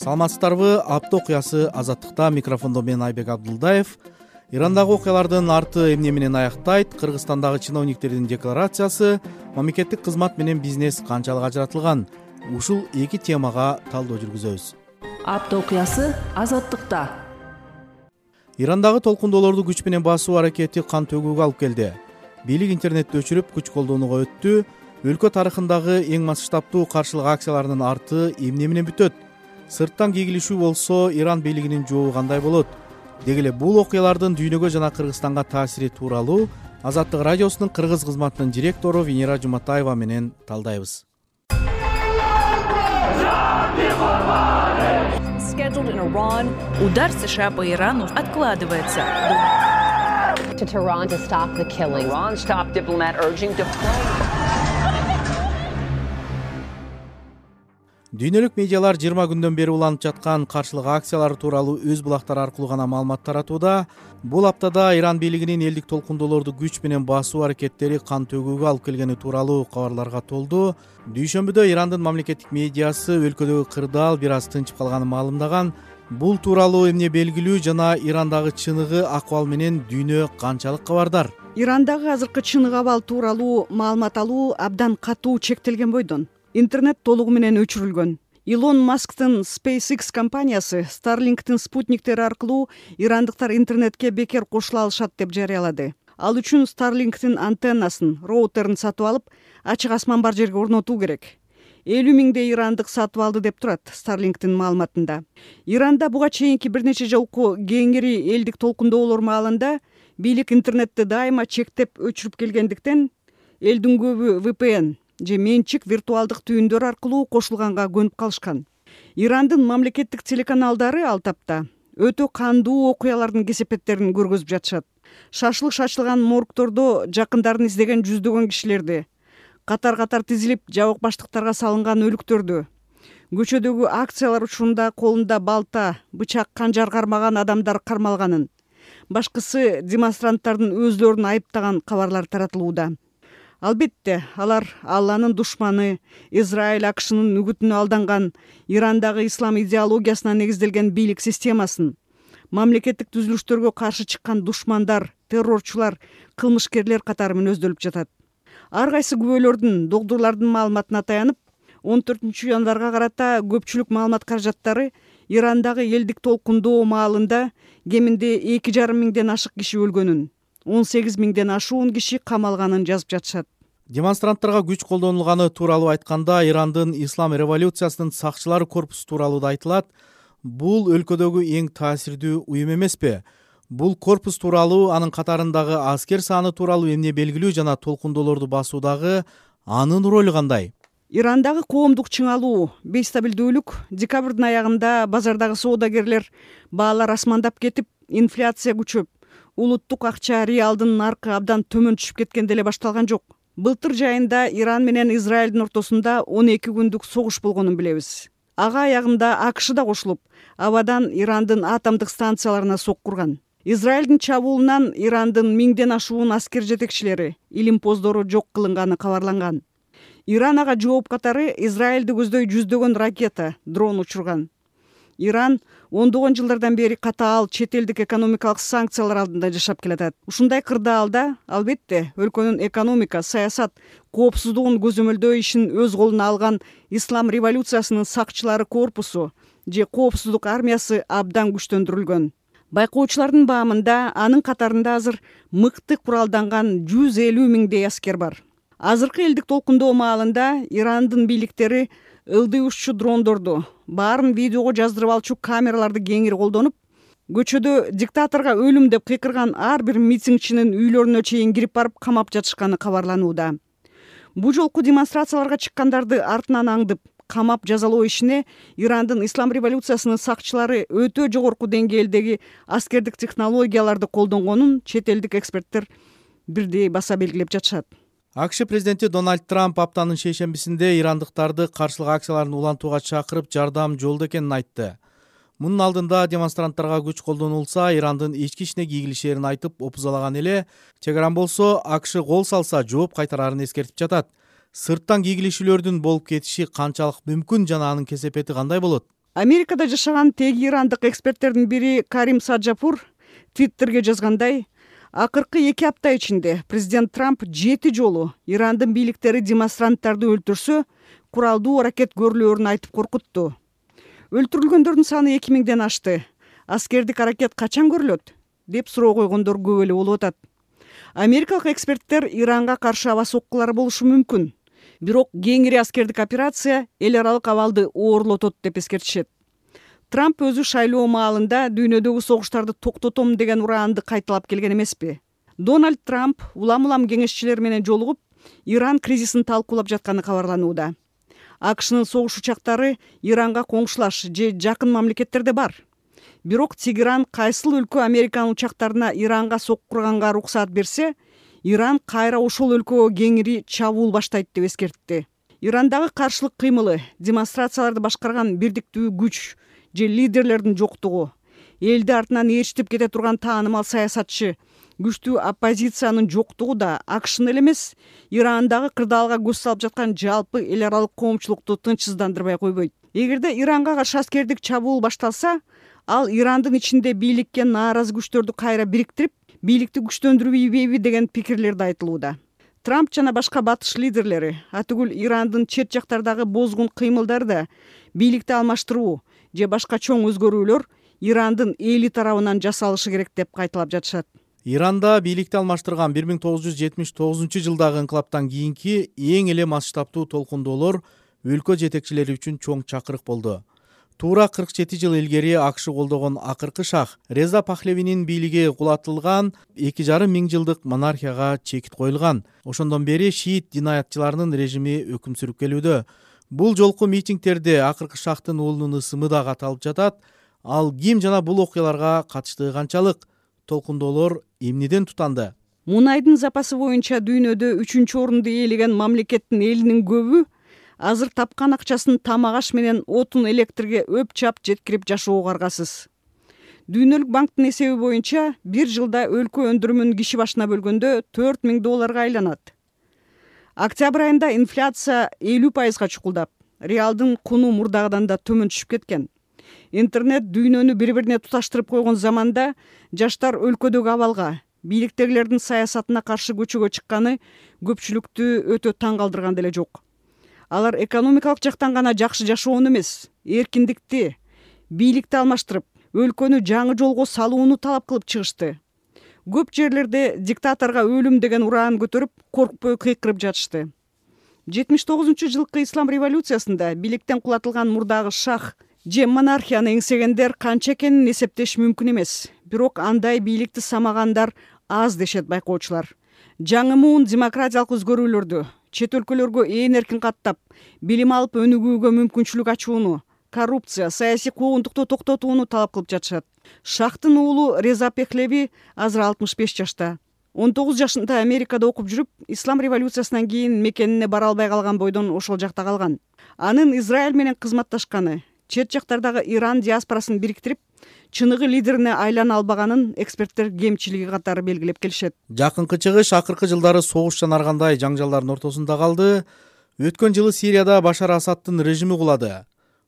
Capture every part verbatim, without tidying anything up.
Саламатсыздарбы? Апта окуясы азаттыкта. Микрофондо мен Айбек Абдулдаев. Ирандагы окуялардын арты эмне менен аяктайт? Кыргызстандагы чиновниктердин декларациясы, мамлекеттик кызмат менен бизнес канчалык ажыратылган? Ушул эки темага талдоо жүргүзөбүз. Апта окуясы азаттыкта. Ирандагы толкундоолорду күч менен басуу аракети кан төгүүгө алып келди. Бийлик интернетти өчүрүп күч колдонууга өттү. Өлкө тарыхындагы эң масштабдуу каршылык акцияларынын арты эмне менен бүтөт? Сырттан кегилишүү болсо, Иран бийлигинин жообу кандай болот? Деги эле бул окуялардын дүйнөгө жана Кыргызстанга таасири тууралуу Азаттык радиосунун кыргыз кызматынын директору Венера Жуматаева менен талдайбыз. Удар США по Ирану откладывается. To Tehran to stop the killing. Iran's top diplomat urging deployment. Дүйнөлүк медиалар жыйырма күндөн бери уланып жаткан каршылык акциялары тууралуу өз булактары аркылуу гана маалымат таратууда. Бул аптада Иран бийлигинин элдик толкундоолорду күч менен басуу аракеттери кан төгүүгө алып келгени тууралуу кабарларга толду. Дүйшөмбүдө Ирандын мамлекеттик медиасы өлкөдөгү кырдаал бир аз тынчып калганын маалымдаган. Бул тууралуу эмне белгилүү жана Ирандагы чыныгы акыбал менен дүйнө канчалык кабардар? Ирандагы азыркы чыныгы абал тууралуу маалымат алуу абдан катуу чектелген бойдон. Интернет толугу менен өчүрүлгөн. Илон Масктын SpaceX компаниясы Starlink'тин спутниктери аркылуу ирандыктар интернетке бекер кошула алышат деп жарыялады. Ал үчүн Starlink'тин антеннасын, роутерин сатып алып, ачык асман бар жерге орнотуу керек. элүү миңдей ирандык сатып алды деп турат Starlink'тин маалыматында. Иранда буга чейинки бир нече жолку кеңири элдик толкундоолор маалында бийлик интернетти дайыма чектеп өчүрүп келгендиктен элдин көбү ви пи эн же менчик виртуалдык түйүндөр аркылуу кошулганга көнүп калышкан. Ирандын мамлекеттик телеканалдары ал тапта өтө кандуу окуялардын кесепеттерин көргөзүп жатышат. Шашлык шашылган моргтордо жакындарын издеген жүздөгөн кишилерди, катар-катар тизилип жабык баштыктарга салынган өлүктөрдү, көчөдөгү акциялар учурунда колунда балта, бычак, канжар кармаган адамдар кармалганын, башкысы демонстранттардын өзлөрүн айыптаган кабарлар таратылууда. Албетте, алар Алланын душманы, Израиль акшынын үгүтүнө алданган, Ирандагы ислам идеологиясына негизделген бийлик системасын, мамлекеттик түзүлүштөргө каршы чыккан душмандар, террорчулар, кылмышкерлер катары мүнөздөлүп жатат. Ар кайсы күбөлөрдүн, догдурлардын маалыматына таянып, он төртүнчү январга карата көпчүлүк маалымат каражаттары Ирандагы элдик толкундоо маалында кеминде эки жарым миңден ашык киши өлгөнүн, он сегиз миңден ашуун киши камалганын жазып жатышат. Демонстранттарга күч колдонулганы тууралуу айтканда, Ирандын ислам революциясынын сакчылары корпусу тууралуу да айтылат. Бул өлкөдөгү эң таасирдүү уюм эмеспи? Бул корпус тууралуу, анын катарындагы аскер саны тууралуу эмне белгилүү жана толкундоолорду басуудагы анын ролу кандай? Ирандагы коомдук чыңалуу, бейстабилдүүлүк, декабрдын аягында базардагы соодагерлер баалар асмандап кетип, инфляция күчөп, улуттук акча реалдын наркы абдан төмөн түшүп кеткенде эле башталган жок. Былтыр жайында Иран менен Израилдин ортосунда он эки күндүк согуш болгонун билебиз. Ага аягында АКШ да кошулуп, абадан Ирандын атомдук станцияларына соккурган. Израилдин чабуулунан Ирандын миңден ашуун аскер жетекчилери, илимпоздору жок кылынганы кабарланган. Иран ага жооп катары Израилди көздөй жүздөгөн ракета, дрон учурган. Иран ондогон жылдардан бери катаал чет элдик экономикалык санкциялар алдында жашап келатат. Ушундай кырдаалда, албетте, өлкөнүн экономика, саясат, коопсуздугун көзөмөлдөө ишин өз колуна алган ислам революциясынын сакчылары корпусу же коопсуздук армиясы абдан күчтөндүрүлгөн. Байкоочулардын баамында анын катарында азыр мыкты куралданган жүз элүү миңдей аскер бар. Азыркы элдик толкундоо маалында Ирандын бийликтери ылдый ушчу дрондорду, баарын видеого жаздырып алчу камераларды кеңири колдонуп, көчөдө диктаторго өлүм деп кыйкырган ар бир митингчинин үйлөрүнө чейин кирип барып камап жатышканы кабарланууда. Бу жолку демонстрацияларга чыккандарды артынан аңдып, камап жазалоо ишине Ирандын ислам революциясынын сакчылары өтө жогорку деңгээлдеги аскердик технологияларды колдонгонун чет элдик эксперттер бирдей баса белгилеп жатышат. АКШ президенти Дональд Трамп аптанын шейшембисинде ирандыктарды каршылык акцияларын улантууга чакырып, жардам жолдо экенин айтты. Мунун алдында демонстранттарга күч колдонулса, Ирандын ички ишине кийгилишээрин айтып опузалаган эле. Тегеран болсо, АКШ кол салса жооп кайтарарын эскертип жатат. Сырттан кийгилишүүлөрдүн болуп кетиши канчалык мүмкүн жана анын кесепети кандай болот? Америкада жашаган теги ирандык эксперттердин бири Карим Саджапур Твиттерге жазгандай, акыркы эки апта ичинде президент Трамп жети жолу Ирандын бийликтери демонстранттарды өлтүрсө, куралдуу аракет көрүлөөрүн айтып коркутту. Өлтүрүлгөндөрдүн саны эки миңден ашты. Аскердик аракет качан көрүлөт деп суроо койгондор көп эле болуп атат. Америкалык эксперттер Иранга каршы аба соккулары болушу мүмкүн. Бирок кеңири аскердик операция эл аралык абалды оорлотот деп эскертишет. Трамп өзү шайлоо маалында дүйнөдөгү согуштарды токтотом деген ураанды кайталап келген эмеспи. Дональд Трамп улам-улам кеңешчилер менен жолугуп, Иран кризисин талкуулап жатканы кабарланууда. АКШнын согуш учактары Иранга коңшулаш же жакын мамлекеттерде бар. Бирок Тегеран кайсыл өлкө Американын учактарына Иранга сок курганга уруксаат берсе, Иран кайра ошол өлкөгө кеңири чабуул баштайт деп эскертти. Ирандагы каршылык кыймылы, демонстрацияларды башкарган бирдиктүү күч же лидерлердин жоктугу, элди артынан ээрчитип кете турган таанымал саясатчы, күчтүү оппозициянын жоктугу да АКШны эле эмес, Ирандагы кырдаалга көз салып жаткан жалпы эл аралык коомчулукту тынчсыздандырбай койбойт. Эгерде Иранга каршы аскердик чабуул башталса, ал Ирандын ичинде бийликке нааразы күчтөрдү кайра бириктирип, бийликти күчтөндүрбөйбү деген пикирлер да айтылууда. Трамп жана башка батыш лидерлери атүгүл Ирандын чет жактардагы бозгун кыймылдары да бийликти алмаштыруу же башка чоң өзгөрүүлөр Ирандын эли тарабынан жасалышы керек деп кайталап жатышат. Иранда бийликти алмаштырган бир миң тогуз жүз жетимиш тогузунчу жылдагы инкылаптан кийинки эң эле масштабтуу толкундоолор өлкө жетекчилери үчүн чоң чакырык болду. Туура кырк жети жыл илгери АКШ колдогон акыркы шах Реза Пахлевинин бийлиги кулатылган эки жарым миң жылдык монархияга чекит коюлган. Ошондон бери шиит динаятчыларынын режими өкүм сүрүп келүүдө. Бул жолку митингтерде акыркы шахтын уулунун ысымы да каталып жатат. Ал ким жана бул окуяларга катыштыгы канчалык? Толкундоолор эмнеден тутанды? Мунайдын запасы боюнча дүйнөдө үчүнчү орунду ээлеген мамлекеттин элинин көбү азыр тапкан акчасын тамак аш менен отун электрге өп чап жеткирип жашоого каргасыз. Дүйнөлүк банктын эсеби боюнча бир жылда өлкө өндүрүмүн киши башына бөлгөндө төрт миң долларга айланат. Октябрь айында инфляция элүү пайызга чукулдап, реалдын куну мурдагыдан да төмөн түшүп кеткен. Интернет дүйнөнү бири-бирине туташтырып койгон заманда жаштар өлкөдөгү абалга, бийликтегилердин саясатына каршы көчөгө чыкканы көпчүлүктү өтө таң калтырган деле жок. Алар экономикалык жактан гана жакшы жашоону эмес, эркиндикти, бийликти алмаштырып, өлкөнү жаңы жолго салууну талап кылып чыгышты. Көп жерлерде диктаторго өлүм деген ураан көтөрүп, коркпой кыйкырып жатышты. жетимиш тогузунчу жылкы ислам революциясында бийликтен кулатылган мурдагы шах же монархияны эңсегендер канча экенин эсептеш мүмкүн эмес. Бирок андай бийликти самагандар аз дешет байкоочулар. Жаңы муун демократиялык өзгөрүүлөрдү, чет өлкөлөргө ээн эркин каттап, билим алып өнүгүүгө мүмкүнчүлүк ачууну, коррупция, саясий куугунтукту токтотууну талап кылып жатышат. Шахтын уулу Реза Пехлеви азыр алтымыш беш жашта. он тогуз жашында Америкада окуп жүрүп, ислам революциясынан кийин мекенине бара албай калган бойдон ошол жакта калган. Анын Израиль менен кызматташканы, чет жактардагы Иран диаспорасын бириктирип, чыныгы лидерине айлана албаганын эксперттер кемчилиги катары белгилеп келишет. Жакынкы чыгыш акыркы жылдары согуш жанаргандай жаңжалдардын ортосунда калды. Өткөн жылы Сирияда Башар Асадтын режими кулады.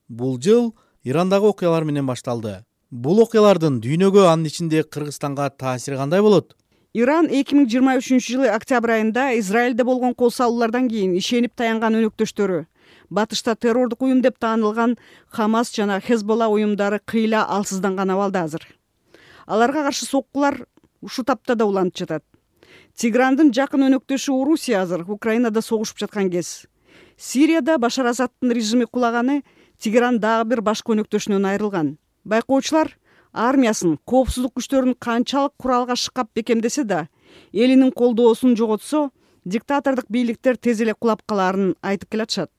Бул жыл Ирандагы окуялар менен башталды. Бул окуялардын дүйнөгө, анын ичинде Кыргызстанга таасири кандай болот? Иран эки миң жыйырма үчүнчү жылы октябрь айында Израилде болгон кол салуулардан кийин ишенип таянган өнөктөштөрү, батышта террордук уюм деп таанылган Хамас жана Хезболла уюмдары кыйла алсызданган абалда азыр. Аларга каршы соккулар ушу тапта да уланып жатат. Тегерандын жакын өнөктөшү Орусия азыр Украинада согушуп жаткан кез. Сирияда Башар Асадтын режими кулаганы Тегеран дагы бир башкы өнөктөшүнөн айрылган. Байкоочулар армиясын, коопсуздук күчтөрүн канчалык куралга шыкап бекемдесе да, элинин колдоосун жоготсо, диктатордук бийликтер тез эле кулап калаарын айтып келатышат.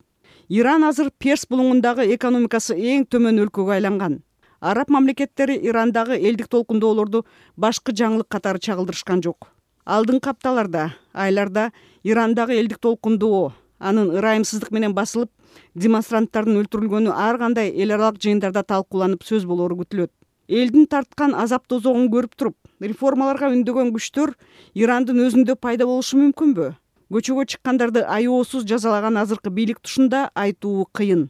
Иран азыр Перс булуңундагы экономикасы эң төмөн өлкөгө айланган. Араб мамлекеттери Ирандагы элдик толкундоолорду башкы жаңылык катары чагылдырышкан жок. Алдыңкы апталарда, айларда Ирандагы элдик толкундоо, анын ырайымсыздык менен басылып, демонстранттардын өлтүрүлгөнү ар кандай эл аралык жыйындарда талкууланып сөз болоору күтүлөт. Элдин тарткан азап тозогун көрүп туруп, реформаларга үндөгөн күчтөр Ирандын өзүндө пайда болушу мүмкүнбү? Көчөгө чыккандарды аеосуз жазалаган азыркы бийлик тушунда айтуу кыйын.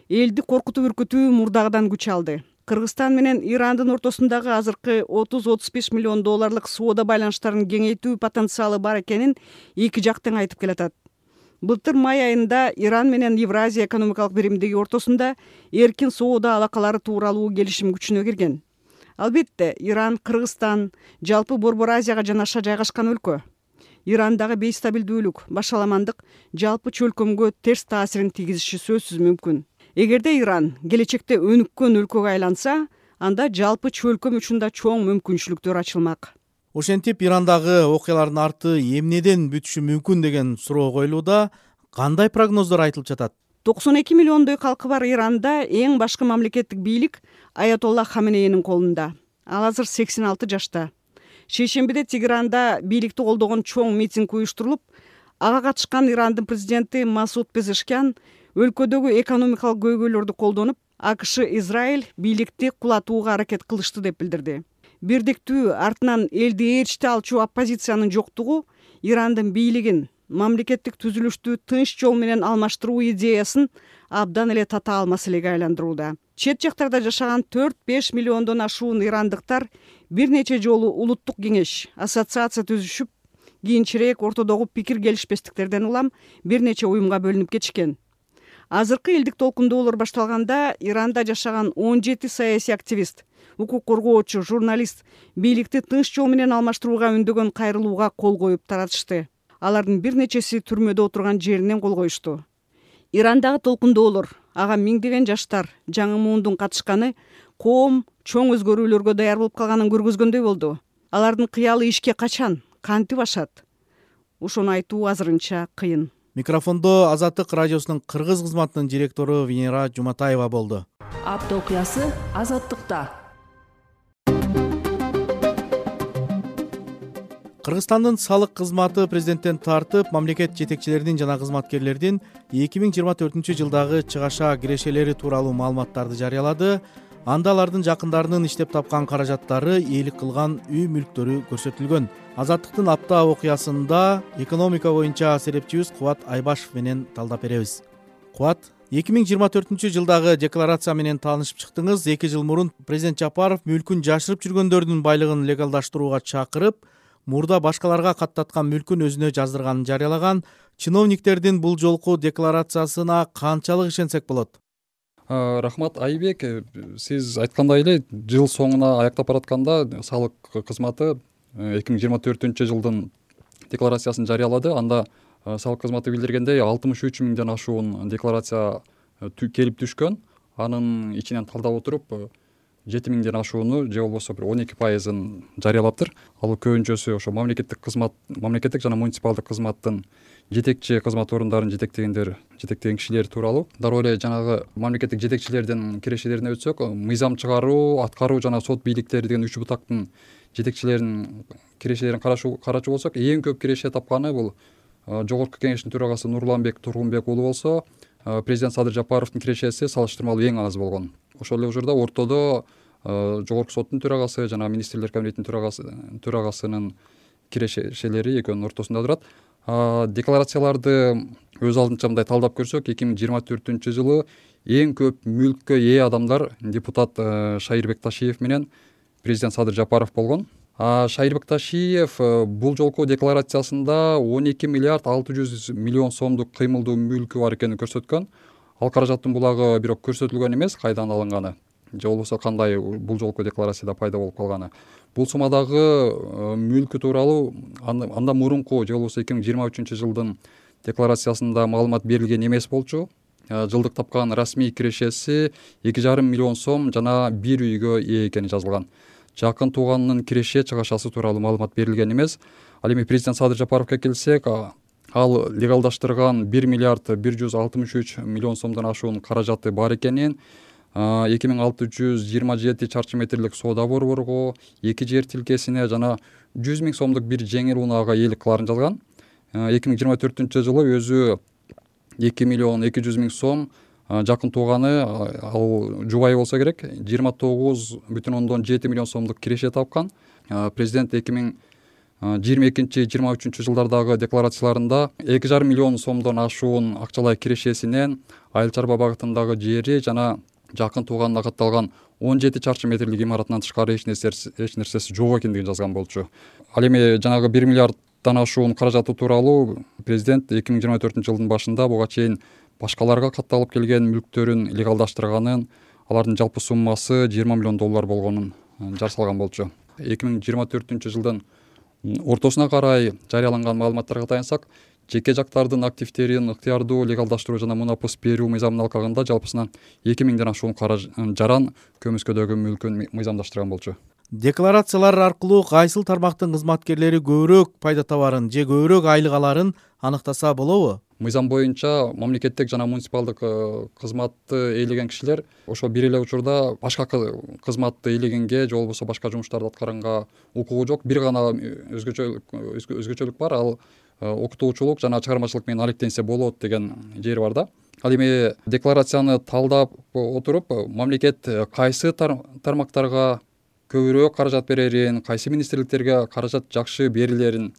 элди коркутуп үркүтүү мурдагыдан күч алды. Кыргызстан менен Ирандын ортосундагы азыркы отуз отуз беш миллион долларлык соода байланыштарын кеңейтүү потенциалы бар экенин эки жак тең айтып келатат. Былтыр май айында Иран менен Евразия экономикалык биримдиги ортосунда эркин соода алакалары тууралуу келишим күчүнө кирген. Албетте, Иран, Кыргызстан жалпы Борбор Азияга жанаша жайгашкан өлкө. Ирандагы бейстабилдүүлүк, башаламандык жалпы чөлкөмгө терс таасирин тийгизиши сөзсүз мүмкүн. Эгерде Иран келечекте өнүккөн өлкөгө айланса, анда жалпы чөлкөм үчүн да чоң мүмкүнчүлүктөр ачылмак. Ошентип Ирандагы окуялардын арты эмнеден бүтүшү мүмкүн деген суроо коюлууда. Кандай прогноздор айтылып жатат? токсон эки миллиондой калкы бар Иранда эң башкы мамлекеттик бийлик Аятолла Хаменейнин колунда. Ал азыр сексен алты жашта. Шейшембиде Тегеранда бийликти колдогон чоң митинг уюштурулуп, ага катышкан Ирандын президенти Масуд Пезешкян өлкөдөгү экономикалык көйгөйлөрдү колдонуп, АКШ Израиль бийликти кулатууга аракет кылышты деп билдирди. Бирдиктүү артынан элди ээрчите алчу оппозициянын жоктугу Ирандын бийлигин мамлекеттик түзүлүштү тынч жол менен алмаштыруу идеясын абдан эле татаал маселеге айландырууда. Чет жактарда жашаган төрт беш миллиондон ашуун ирандыктар бир нече жолу улуттук кеңеш, ассоциация түзүшүп, кийинчерээк ортодогу пикир келишпестиктерден улам бир нече уюмга бөлүнүп кетишкен. Азыркы элдик толкундоолор башталганда Иранда жашаган он жети саясий активист, укук коргоочу, журналист бийликти тынч жол менен алмаштырууга үндөгөн кайрылууга кол коюп таратышты. Алардын бир нечеси түрмөдө отурган жеринен кол коюшту. Ирандагы толкундоолор, ага миңдеген жаштар, жаңы муундун катышканы коом чоң өзгөрүүлөргө даяр болуп калганын көргөзгөндөй болду. Алардын кыялы ишке качан, кантип ашат? Ошону айтуу азырынча кыйын. Микрофондо Азаттык радиосунун кыргыз кызматынын директору Венера Жуматаева болду. Апта окуясы Азаттыкта. Кыргызстандын салык кызматы президенттен тартып, мамлекет жетекчилеринин жана кызматкерлердин эки миң жыйырма төртүнчү жылдагы чыгаша кирешелери тууралуу маалыматтарды жарыялады. Анда алардын жакындарынын иштеп тапкан каражаттары, ээлик кылган үй мүлктөрү көрсөтүлгөн. Азаттыктын апта окуясында экономика боюнча серепчибиз Кубат Айбашев менен талдап беребиз. Кубат, эки миң жыйырма төртүнчү жылдагы декларация менен таанышып чыктыңыз. эки жыл мурун президент Жапаров мүлкүн жашырып жүргөндөрдүн байлыгын легалдаштырууга чакырып, мурда башкаларга каттаткан мүлкүн өзүнө жаздырганын жарыялаган. Чиновниктердин бул жолку декларациясына канчалык ишенсек болот? Рахмат Айбек, сиз айткандай эле жыл соңуна аяктап баратканда салык кызматы эки миң жыйырма төртүнчү жылдын декларациясын жарыялады. Анда салык кызматы билдиргендей алтымыш үч миңден ашуун декларация келип түшкөн. Анын ичинен талдап отуруп жети миңден ашууну же болбосо бир он эки пайызын жарыялаптыр. Ал көбүнчөсү ошо мамлекеттик кызмат, мамлекеттик жана муниципалдык кызматтын жетекчи кызмат орундарын жетектегендер, жетектеген кишилер тууралуу. Дароо эле жанагы мамлекеттик жетекчилердин кирешелерине өтсөк, мыйзам чыгаруу, аткаруу жана сот бийликтери деген үч бутактын жетекчилеринин кирешелерин карачу болсок, эң көп киреше тапканы бул Жогорку кеңештин төрагасы Нурланбек Тургунбек уулу болсо, президент Садыр Жапаровдун кирешеси салыштырмалуу эң аз болгон. Ошол эле учурда ортодо Жогорку соттун төрагасы жана министрлер кабинетинин төрагасы төрагасынын кирешелери экөөнүн ортосунда турат. Декларацияларды өз алдынча мындай талдап көрсөк, эки миң жыйырма төртүнчү жылы эң көп мүлккө ээ адамдар депутат Шайырбек Ташиев менен президент Садыр Жапаров болгон. Шайырбек Ташиев бул жолку декларациясында он эки миллиард алты жүз миллион сомдук кыймылдуу мүлкү бар экенин көрсөткөн. Ал каражаттын булагы бирок көрсөтүлгөн эмес, кайдан алынганы же болбосо кандай бул жолку декларацияда пайда болуп калганы. Бул суммадагы мүлкү тууралуу андан мурунку же болбосо эки миң жыйырма үчүнчү жылдын декларациясында маалымат берилген эмес болчу. Жылдык тапкан расмий кирешеси эки жарым миллион сом жана бир үйгө ээ экени жазылган. Жакын тууганынын киреше чыгашасы тууралуу маалымат берилген эмес. Ал эми президент Садыр Жапаровго келсек, ал легалдаштырган бир миллиард бир жүз алтымыш үч миллион сомдон ашуун каражаты бар экенин, эки миң алты жүз жыйырма жети чарчы метрлик соода борборго, эки жер тилкесине жана жүз миң сомдук бир жеңил унаага ээлик кыларын жазган. эки миң жыйырма төртүнчү жылы өзү эки миллион эки жүз миң сом, жакын тууганы ал жубайы болсо керек, жыйырма тогуз бүтүн ондон жети миллион сомдук киреше тапкан. Президент эки миң жыйырма экинчи жыйырма үчүнчү жылдардагы декларацияларында эки жарым миллион сомдон ашуун акчалай кирешесинен айыл чарба багытындагы жери жана жакын тууганына катталган он жети чарчы метрлик имаратынан тышкары эч нерсеси эч нерсеси жок экендигин жазган болчу. Ал эми жанагы бир миллиарддан ашуун каражаты тууралуу президент эки миң жыйырма төртүнчү жылдын башында буга чейин башкаларга катталып келген мүлктөрүн легалдаштырганын, алардын жалпы суммасы жыйырма миллион доллар болгонун жар салган болчу. эки миң жыйырма төртүнчү жылдын ортосуна карай жарыяланган маалыматтарга таянсак, жеке жактардын активдерин ыктыярдуу легалдаштыруу жана мунапыс берүү мыйзамынын алкагында жалпысынан эки миңден ашуун жаран көмүскөдөгү мүлкүн мыйзамдаштырган болчу. Декларациялар аркылуу кайсыл тармактын кызматкерлери көбүрөөк пайда табарын же көбүрөөк айлык аларын аныктаса болобу? Мыйзам боюнча мамлекеттик жана муниципалдык кызматты ээлеген кишилер ошол бир эле учурда башка кызматты ээлегенге же болбосо башка жумуштарды аткаранга укугу жок. Бир гана өзгөчөлүк бар, ал окутуучулук жана чыгармачылык менен алектенсе болот деген жери бар да. Ал эми декларацияны талдап отуруп, мамлекет кайсы тармактарга көбүрөөк каражат берерин, кайсы министрликтерге каражат жакшы берилерин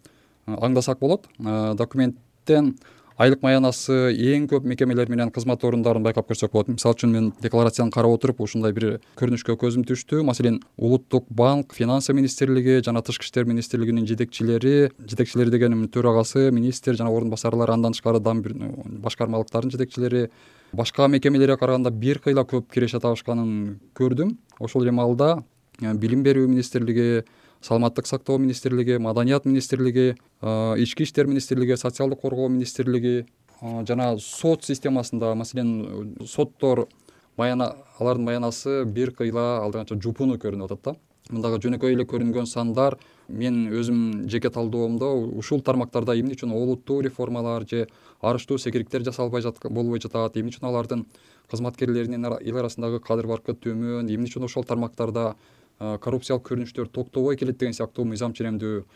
аңдасак болот. Документтен айлык маянасы эң көп мекемелер менен кызмат орундарын байкап көрсөк болот. Мисалы үчүн мен декларацияны карап отуруп ушундай бир көрүнүшкө көзүм түштү. Маселен, Улуттук банк, Финансы министрлиги жана Тышкы иштер министрлигинин жетекчилери, жетекчилери дегеним төрагасы, министр жана орун басарлар, андан тышкары башкармалыктардын жетекчилери башка мекемелерге караганда бир кыйла көп киреше табышканын көрдүм. Ошол эле маалда Билим берүү министрлиги, Саламаттык сактоо министрлиги, Маданият министрлиги, Ички иштер министрлиги, Социалдык коргоо министрлиги жана сот системасында, маселен, соттор алардын маянасы бир кыйла алдыганча жупуну көрүнүп атат да. Мындагы жөнөкөй эле көрүнгөн сандар мен өзүм жеке талдоомдо ушул тармактарда эмне үчүн олуттуу реформалар же арыштуу секириктер жасалбай болбой жатат, эмне үчүн алардын кызматкерлеринин эл арасындагы кадыр баркы төмөн, эмне үчүн ошол тармактарда коррупциялык көрүнүштөр токтобой келет деген сыяктуу мыйзам ченемдүү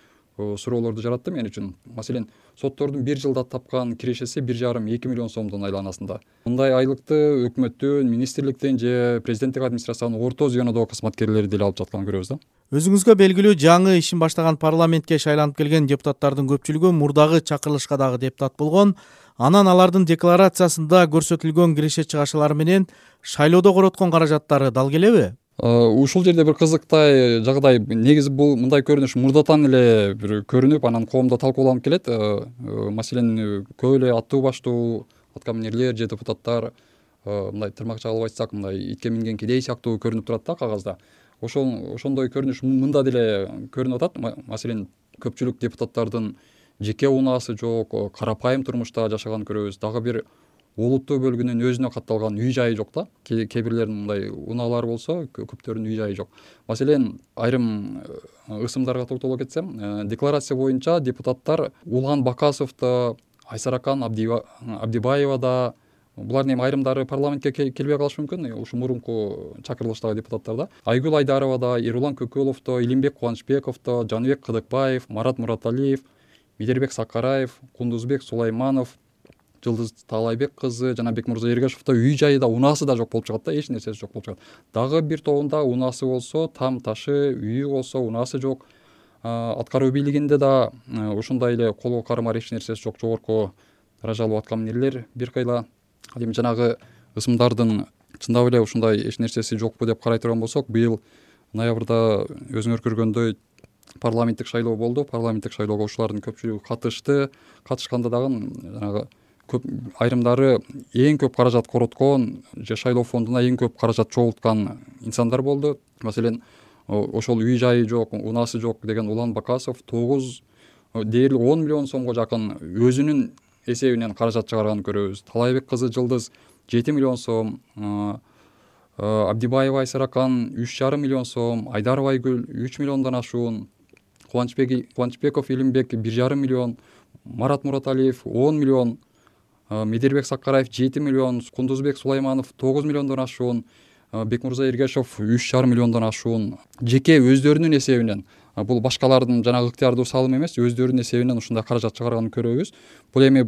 суроолорду жаратты мен үчүн. Маселен, соттордун бир жылда тапкан кирешеси бир жарым эки миллион сомдун айланасында. Мындай айлыкты өкмөттүн, министрликтин же президенттик администрациянын орто звенодогу кызматкерлери деле алып жатканын көрөбүз да. Өзүңүзгө белгилүү жаңы ишин баштаган парламентке шайланып келген депутаттардын көпчүлүгү мурдагы чакырылышка дагы депутат болгон. Анан алардын декларациясында көрсөтүлгөн киреше чыгашалары менен шайлоодо короткон каражаттары дал келеби? Ушул жерде бир кызыктай жагдай, негизи бул мындай көрүнүш мурдатан эле бир көрүнүп, анан коомдо талкууланып келет. Маселен, көп эле аттуу баштуу аткаминерлер же депутаттар мындай тырмакча кылып айтсак, мындай итке минген кедей сыяктуу көрүнүп турат да кагазда. Ошол ошондой көрүнүш мында деле көрүнүп атат. Маселен, көпчүлүк депутаттардын жеке унаасы жок, карапайым турмушта жашаганын көрөбүз. Дагы бир олуттуу бөлүгүнүн өзүнө катталган үй жайы жок да. Кээ бирлеринин мындай унаалары болсо, көптөрүнүн үй жайы жок. Маселен, айрым ысымдарга токтоло кетсем, декларация боюнча депутаттар Улан Бакасовдо, Айсаракан Абдибаевада, булардын эми айрымдары парламентке келбей калышы мүмкүн, ушу мурунку чакырылыштагы депутаттар да. Айгүл Айдаровадо, Эрулан Көкөловдо, Илимбек Кубанычбековдо, Жаныбек Кыдыкбаев, Марат Мураталиев, Медербек Сакараев, Кундузбек Сулайманов, Жылдыз Таалайбек кызы жана Бекмурза Эргашевдо үй жайы да, унаасы да жок болуп чыгат да, эч нерсеси жок болуп чыгат. Дагы бир тобунда унаасы болсо, там ташы, үйү болсо, унаасы жок. Аткаруу бийлигинде да ушундай эле колго кармар эч нерсеси жок жогорку даражалуу аткаминерлер бир кыйла. Ал эми жанагы ысымдардын чындап эле ушундай эч нерсеси жокпу деп карай турган болсок, быйыл ноябрда өзүңөр көргөндөй парламенттик шайлоо болду. Парламенттик шайлоого ушулардын көпчүлүгү катышты. Катышканда дагы жанагы көп айрымдары эң көп каражат короткон же шайлоо фондуна эң көп каражат чогулткан инсандар болду. Маселен, ошол үй жайы жок, унаасы жок деген Улан Бакасов тогуз дээрлик он миллион сомго жакын өзүнүн эсебинен каражат чыгарганын көрөбүз. Таалайбек кызы Жылдыз жети миллион сом, Абдибаева Айсаракан үч жарым миллион сом, Айдаров Айгүл үч миллиондон ашуун, Кубанычбеков Илимбек бир жарым миллион, Марат Мураталиев он миллион, Медербек Сакараев жети миллион, Кундузбек Сулайманов тогуз миллиондон ашуун, Бекмурза Эргашев үч жарым миллиондон ашуун жеке өздөрүнүн эсебинен, бул башкалардын жанагы ыктыярдуу салым эмес, өздөрүнүн эсебинен ушундай каражат чыгарганын көрөбүз. Бул эми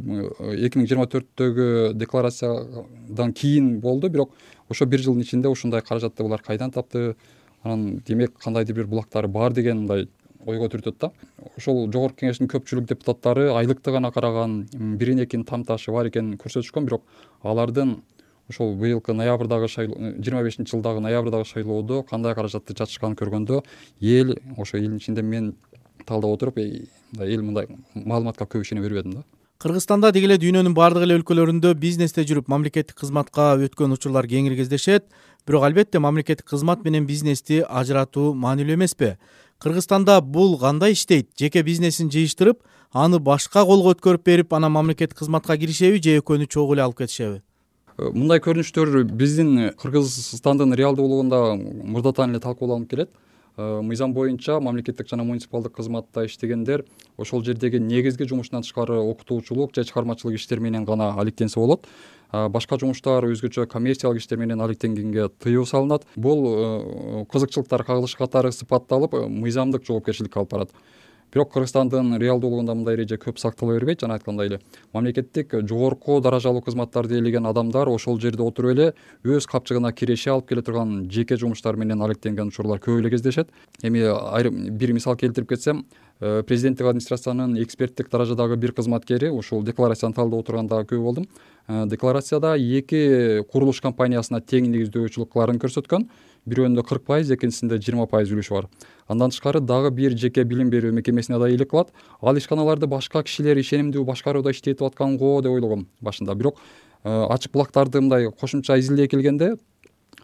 эки миң жыйырма төрттөгү декларациядан кийин болду, бирок ошо бир жылдын ичинде ушундай каражатты булар кайдан тапты, анан демек кандайдыр бир булактары бар деген мындай ойго түртөт да. Ошол жогорку кеңештин көпчүлүк депутаттары айлыкты гана караган, бирин экинин там ташы бар экенин көрсөтүшкөн, бирок алардын ошол быйылкы ноябрдагы шайлоо, жыйырма бешинчи жылдагы ноябрдагы шайлоодо кандай каражатты жатышканын көргөндө эл ошо элдин ичинде мен талдап отуруп эл мындай маалыматка көп ишене бербедим да. Кыргызстанда деги эле дүйнөнүн бардык эле өлкөлөрүндө бизнесте жүрүп мамлекеттик кызматка өткөн учурлар кеңири кездешет. Бирок албетте мамлекеттик кызмат менен бизнести ажыратуу маанилүү эмеспи? Кыргызстанда бул кандай иштейт? Жеке бизнесин жыйыштырып, аны башка колго өткөрүп берип, анан мамлекеттик кызматка киришеби же экөөнү чогуу эле алып кетишеби? Мындай көрүнүштөр биздин Кыргызстандын реалдуулугунда мурдатан эле талкууланып келет. Мыйзам боюнча мамлекеттик жана муниципалдык кызматта иштегендер ошол жердеги негизги жумушунан тышкары окутуучулук же чыгармачылык иштер менен гана алектенсе болот. Башка жумуштар, өзгөчө коммерциялык иштер менен алектенгенге тыюу салынат. Бул кызыкчылыктар кагылышы катары сыпатталып, мыйзамдык жоопкерчиликке алып барат. Бирок Кыргызстандын реалдуулугунда мындай эреже көп сактала бербейт. Жана айткандай эле мамлекеттик жогорку даражалуу кызматтарды ээлеген адамдар ошол жерде отуруп эле өз капчыгына киреше алып келе турган жеке жумуштар менен алектенген учурлар көп эле кездешет. Эми айрым бир мисал келтирип кетсем, президенттик администрациянын эксперттик даражадагы бир кызматкери ушул декларацияны талдап отурганда көп болдум. Декларацияда эки курулуш компаниясына тең негиздөөчүлүк көрсөткөн. Бирөөндө кырк пайыз, экинчисинде жыйырма пайыз үлүшү бар. Андан тышкары дагы бир жеке билим берүү мекемесине да ыйлык кылат. Ал ишканаларды башка кишилер ишенимдүү башкарууда иштетип аткан го деп ойлогом башында. Бирок ачык булактарды мындай кошумча изилдей келгенде,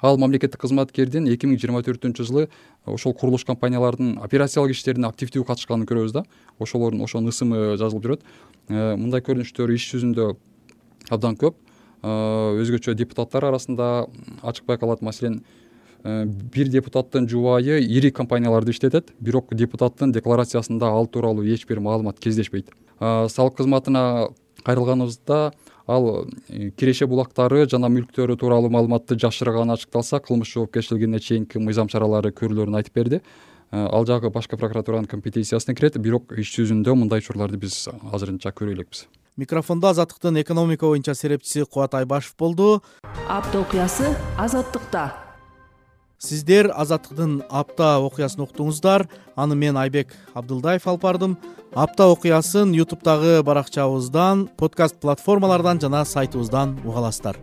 ал мамлекеттик кызматкердин эки миң жыйырма төртүнчү жылы ошол курулуш компаниялардын операциялык иштерине активдүү катышканын көрөбүз да. Ошолордун ошонун ысымы жазылып жүрөт. Мындай көрүнүштөр иш жүзүндө абдан көп. Өзгөчө депутаттар арасында ачык байкалат. Маселен, бир депутаттын жубайы ири компанияларды иштетет, бирок депутаттын декларациясында ал тууралуу эч бир маалымат кездешпейт. Салык кызматына кайрылганыбызда ал киреше булактары жана мүлктөрү тууралуу маалыматты жашырганы ачыкталса, кылмыш жоопкерчилигине чейинки мыйзам чаралары көрүлөрүн айтып берди. Ал жагы башкы прокуратуранын компетенциясына кирет, бирок иш жүзүндө мындай учурларды биз азырынча көрө элекпиз. Микрофондо Азаттыктын экономика боюнча серепчиси Кубат Айбашев болду. Апта окуясы Азаттыкта. Сиздер Азаттыктын апта окуясын уктуңуздар. Аны мен Айбек Абдылдаев алып бардым. Апта окуясын ютубтагы баракчабыздан, подкаст платформалардан жана сайтыбыздан уга аласыздар.